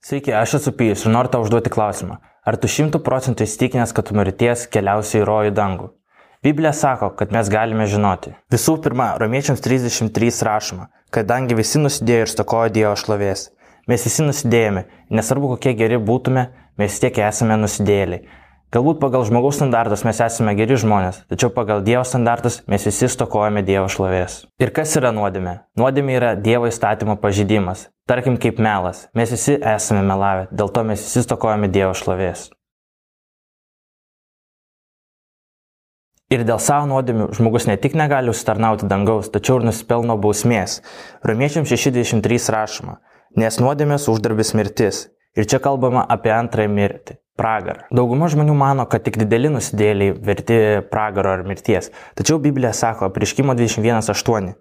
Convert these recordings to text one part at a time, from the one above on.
Sveiki, aš esu Pijus ir noriu tau užduoti klausimą. Ar tu 100% įsitikinęs, kad tu mirties keliausi į rojų dangų? Biblija sako, kad mes galime žinoti. Visų pirma, Romiečiams 33 rašoma, kadangi visi nusidėjo ir stokojo Dievo šlovės. Mes visi nusidėjome, nesvarbu kokie geri būtume, mes vis tiek esame nusidėjėliai. Galbūt pagal žmogaus standartus mes esame geri žmonės, tačiau pagal Dievo standartus mes visi stokojame Dievo šlovės. Ir kas yra nuodėmė? Nuodėmė yra Dievo įstatymo pažeidimas. Tarkim kaip melas. Mes visi esame melavę, dėl to mes visi stokojame Dievo šlovės. Ir dėl savo nuodėmių žmogus ne tik negali užsitarnauti dangaus, tačiau ir nusipelno bausmės. Romiečiams 6:23 rašoma, nes nuodėmės uždarbis mirtis. Ir čia kalbama apie antrąją mirtį. Pragarą. Dauguma žmonių mano, kad tik dideli nusidėjėliai verti pragaro ar mirties. Tačiau Biblija sako, Apreiškimo 21:8.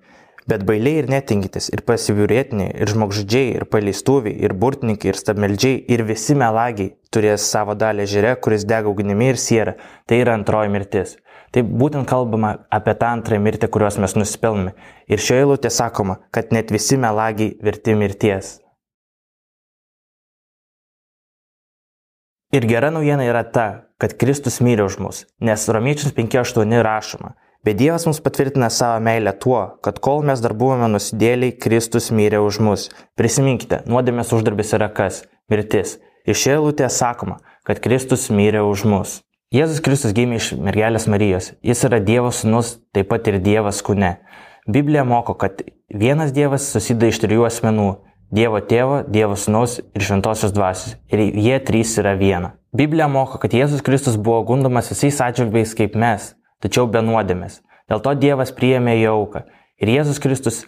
Bet bailiai ir netinkytis, ir pasibjaurėtiniai, ir žmogžudžiai, ir paleistuviai, ir burtininkai, ir stabmeldžiai, ir visi melagiai turės savo dalį ežere, kuris dega ugnimi ir siera. Tai yra antroji mirtis. Tai būtent kalbama apie tą antrąją mirtį, kurios mes nusipelnome. Ir šioje eilutėje sakoma, kad net visi melagiai verti mirties. Ir gera naujiena yra ta, kad Kristus mirė už mus, nes Romiečiams 5:8 rašoma, bet Dievas mums patvirtina savo meilę tuo, kad kol mes dar buvome nusidėliai, Kristus mirė už mus. Prisiminkite, nuodėmės uždarbis yra kas? Mirtis. Ir šioje eilutėje sakoma, kad Kristus mirė už mus. Jėzus Kristus gimė iš mergelės Marijos. Jis yra Dievo sūnus, taip pat ir Dievas kūne. Biblija moko, kad vienas Dievas susideda iš trijų asmenų. Dievo tėvo, Dievo sūnaus ir šventosios dvasios. Ir jie trys yra viena. Biblija moko, kad Jėzus Kristus buvo gundomas visais atžvilgiais kaip mes, tačiau be nuodėmės. Dėl to Dievas priėmė jo auką. Ir Jėzus Kristus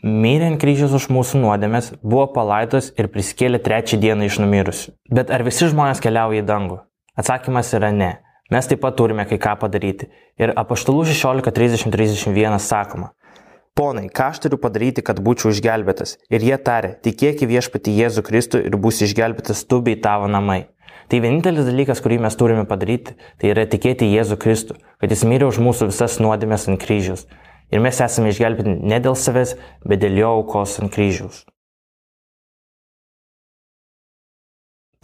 mirė ant kryžiaus už mūsų nuodėmės, buvo palaidotas ir prisikėlė trečią dieną iš numirusių. Bet ar visi žmonės keliauja į dangų? Atsakymas yra ne. Mes taip pat turime kai ką padaryti. Ir Apaštalų 16:30-31 sakoma, Ponai, ką aš turiu padaryti, kad būčiau išgelbėtas? Ir jie tarė, tikėk į Viešpatį Jėzų Kristų ir būsi išgelbėtas tu bei tavo namai. Tai vienintelis dalykas, kurį mes turime padaryti, tai yra tikėti į Jėzų Kristų, kad jis mirė už mūsų visas nuodėmės ant kryžiaus. Ir mes esame išgelbėti ne dėl savęs, bet dėl jo aukos ant kryžiaus.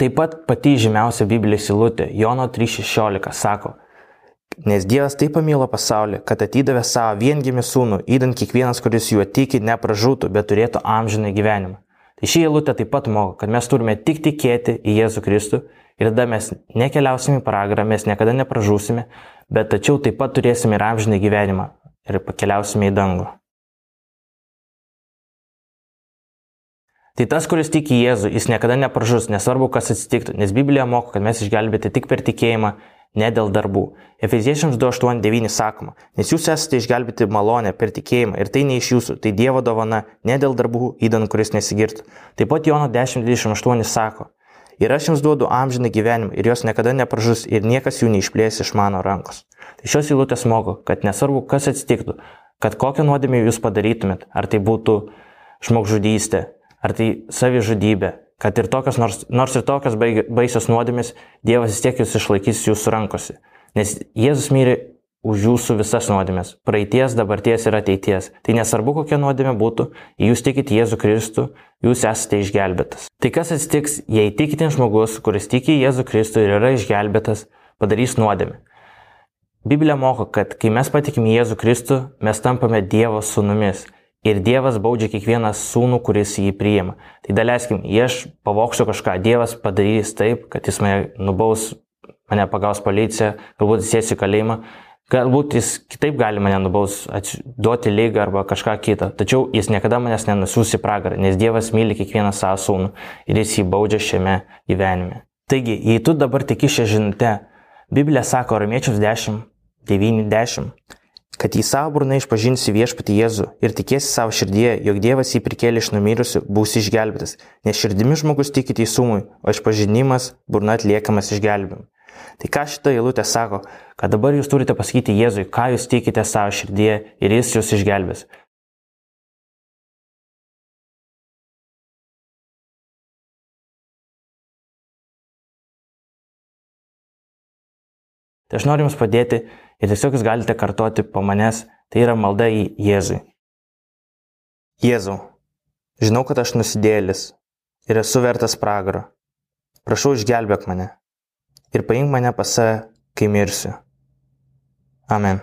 Taip pat pati žymiausia Biblijos eilutė, Jono 3:16 sako, nes Dievas taip pamilo pasaulį, kad atidavė savo viengimį sūnų, įdant kiekvienas, kuris juo tiki, nepražūtų, bet turėtų amžiną gyvenimą. Tai ši eilutė taip pat moko, kad mes turime tik tikėti į Jėzų Kristų ir tada mes nekeliausime į pragarą, mes niekada nepražūsime, bet tačiau taip pat turėsime ir amžiną gyvenimą ir pakeliausime į dangų. Tai tas, kuris tiki į Jėzų, jis niekada nepražus, nesvarbu, kas atsitiktų, nes Biblija moko, kad mes išgelbėti tik per tikėjimą, ne dėl darbų. Efeziečiams 2:8-9 sakoma, nes jūs esate išgelbėti malonę per tikėjimą ir tai ne iš jūsų, tai Dievo dovana, ne dėl darbų, įdant kuris nesigirtų. Taip pat Jono 10:28 sako, ir aš jums duodu amžiną gyvenimą ir jos niekada nepražus ir niekas jų neišplės iš mano rankos. Tai šios eilutės moko, kad nesvarbu, kas atsitiktų, kad kokią nuodėmę jūs padarytumėt, ar tai būtų žmogžudystė, ar tai savižudybė, kad ir tokios, nors ir tokios baisios nuodėmės, Dievas vis tiek jūs išlaikys jūsų rankose. Nes Jėzus mirė už jūsų visas nuodėmės, praeities, dabarties ir ateities. Tai nesvarbu, kokia nuodėmė būtų, jei jūs tikite Jėzų Kristų, jūs esate išgelbėtas. Tai kas atsitiks, jei tikintis žmogus, kuris tiki Jėzų Kristų ir yra išgelbėtas, padarys nuodėmę? Biblija moko, kad kai mes patikime Jėzų Kristų, mes tampame Dievo sūnumis. Ir Dievas baudžia kiekvieną sūnų, kuris jį priima. Tai daleiskim, jei aš pavoksiu kažką, Dievas padarys taip, kad jis mane nubaus, mane pagaus policija, galbūt jis sės į kalėjimą, galbūt jis kitaip gali mane nubaus, duoti ligą arba kažką kitą. Tačiau jis niekada manęs nenusiųs į pragarą, nes Dievas myli kiekvieną savo sūnų ir jis jį baudžia šiame gyvenime. Taigi, jei tu dabar tiki šią žinutę, Biblija sako Romiečiams 10:9-10, kad į savo burną išpažinsi Viešpatį Jėzų ir tikėsi savo širdyje, jog Dievas jį prikėlė iš numirusių, būsi išgelbėtas, nes širdimi žmogus tiki teisumui, o išpažinimas burna atliekamas išgelbėjimu. Tai ką šita eilutė sako, kad dabar jūs turite pasakyti Jėzui, ką jūs tikite savo širdyje ir jis jūs išgelbės. Tai aš noriu jums padėti ir tiesiog jūs galite kartoti po manęs, tai yra malda į Jėzui. Jėzau, žinau, kad aš nusidėjėlis, ir esu vertas pragaro. Prašau, išgelbėk mane ir paimk mane pas save, kai mirsiu. Amen.